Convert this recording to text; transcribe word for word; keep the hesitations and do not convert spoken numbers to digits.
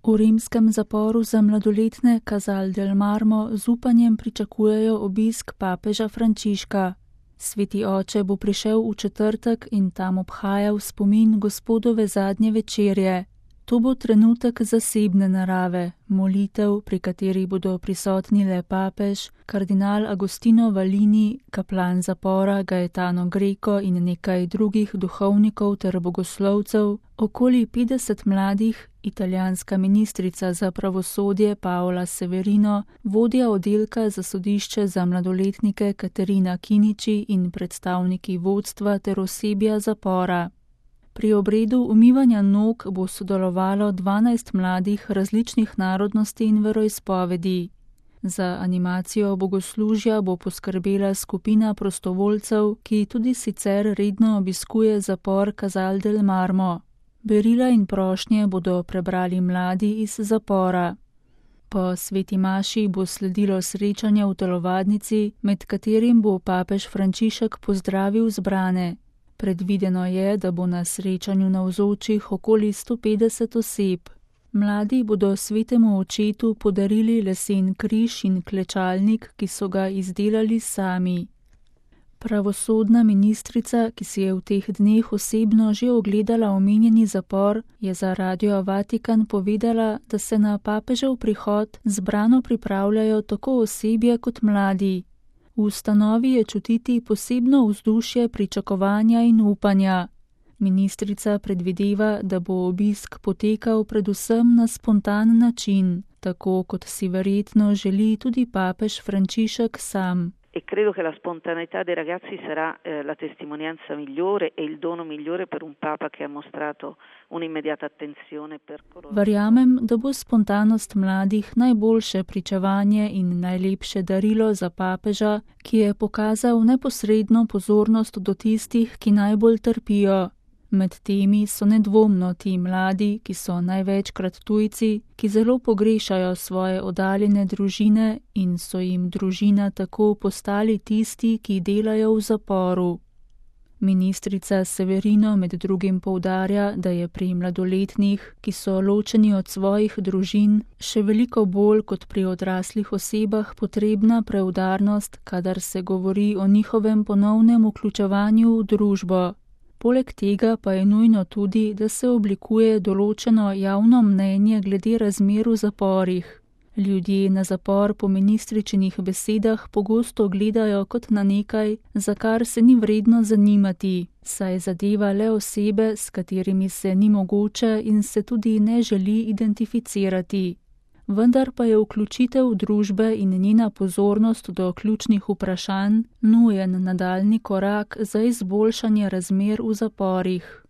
V rimskem zaporu za mladoletne Casal del Marmo z upanjem pričakujejo obisk papeža Frančiška. Sveti oče bo prišel v četrtek in tam obhajal spomin Gospodove zadnje večerje. To bo trenutek zasebne narave, molitev, pri kateri bodo prisotni le papež, kardinal Agostino Valini, kaplan zapora Gaetano Greco in nekaj drugih duhovnikov ter bogoslovcev, okoli petdeset mladih, italijanska ministrica za pravosodje Paola Severino, vodja oddelka za sodišče za mladoletnike Katerina Kiniči in predstavniki vodstva ter osebja zapora. Pri obredu umivanja nog bo sodelovalo dvanajst mladih različnih narodnosti in veroizpovedi. Za animacijo bogoslužja bo poskrbela skupina prostovoljcev, ki tudi sicer redno obiskuje zapor Casal del Marmo. Berila in prošnje bodo prebrali mladi iz zapora. Po sveti maši bo sledilo srečanje v telovadnici, med katerim bo papež Frančišek pozdravil zbrane. Predvideno je, da bo na srečanju navzočih okoli sto petdeset oseb. Mladi bodo svetemu očetu podarili lesen križ in klečalnik, ki so ga izdelali sami. Pravosodna ministrica, ki si je v teh dneh osebno že ogledala omenjeni zapor, je za Radio Vatikan povedala, da se na papežev prihod zbrano pripravljajo tako osebje kot mladi. V ustanovi je čutiti posebno vzdušje pričakovanja in upanja. Ministrica predvideva, da bo obisk potekal predvsem na spontan način, tako kot si verjetno želi tudi papež Frančišek sam. E credo che la spontaneità dei ragazzi sarà eh, la testimonianza migliore e il dono migliore per un papa che ha mostrato un'immediata attenzione per coloro. Verjamem, da bo spontanost mladih najboljše pričevanje in najlepše darilo za papeža, ki je pokazal neposredno pozornost do tistih, ki najbolj trpijo. Med temi so nedvomno ti mladi, ki so največkrat tujci, ki zelo pogrešajo svoje oddaljene družine in so jim družina tako postali tisti, ki delajo v zaporu. Ministrica Severino med drugim poudarja, da je pri mladoletnih, ki so ločeni od svojih družin, še veliko bolj kot pri odraslih osebah potrebna preudarnost, kadar se govori o njihovem ponovnem vključevanju v družbo. Poleg tega pa je nujno tudi, da se oblikuje določeno javno mnenje glede razmer v zaporih. Ljudje na zapor po ministričinih besedah pogosto gledajo kot na nekaj, za kar se ni vredno zanimati, saj zadeva le osebe, s katerimi se ni mogoče in se tudi ne želi identificirati. Vendar pa je vključitev družbe in njena pozornost do ključnih vprašanj nujen nadaljnji korak za izboljšanje razmer v zaporih.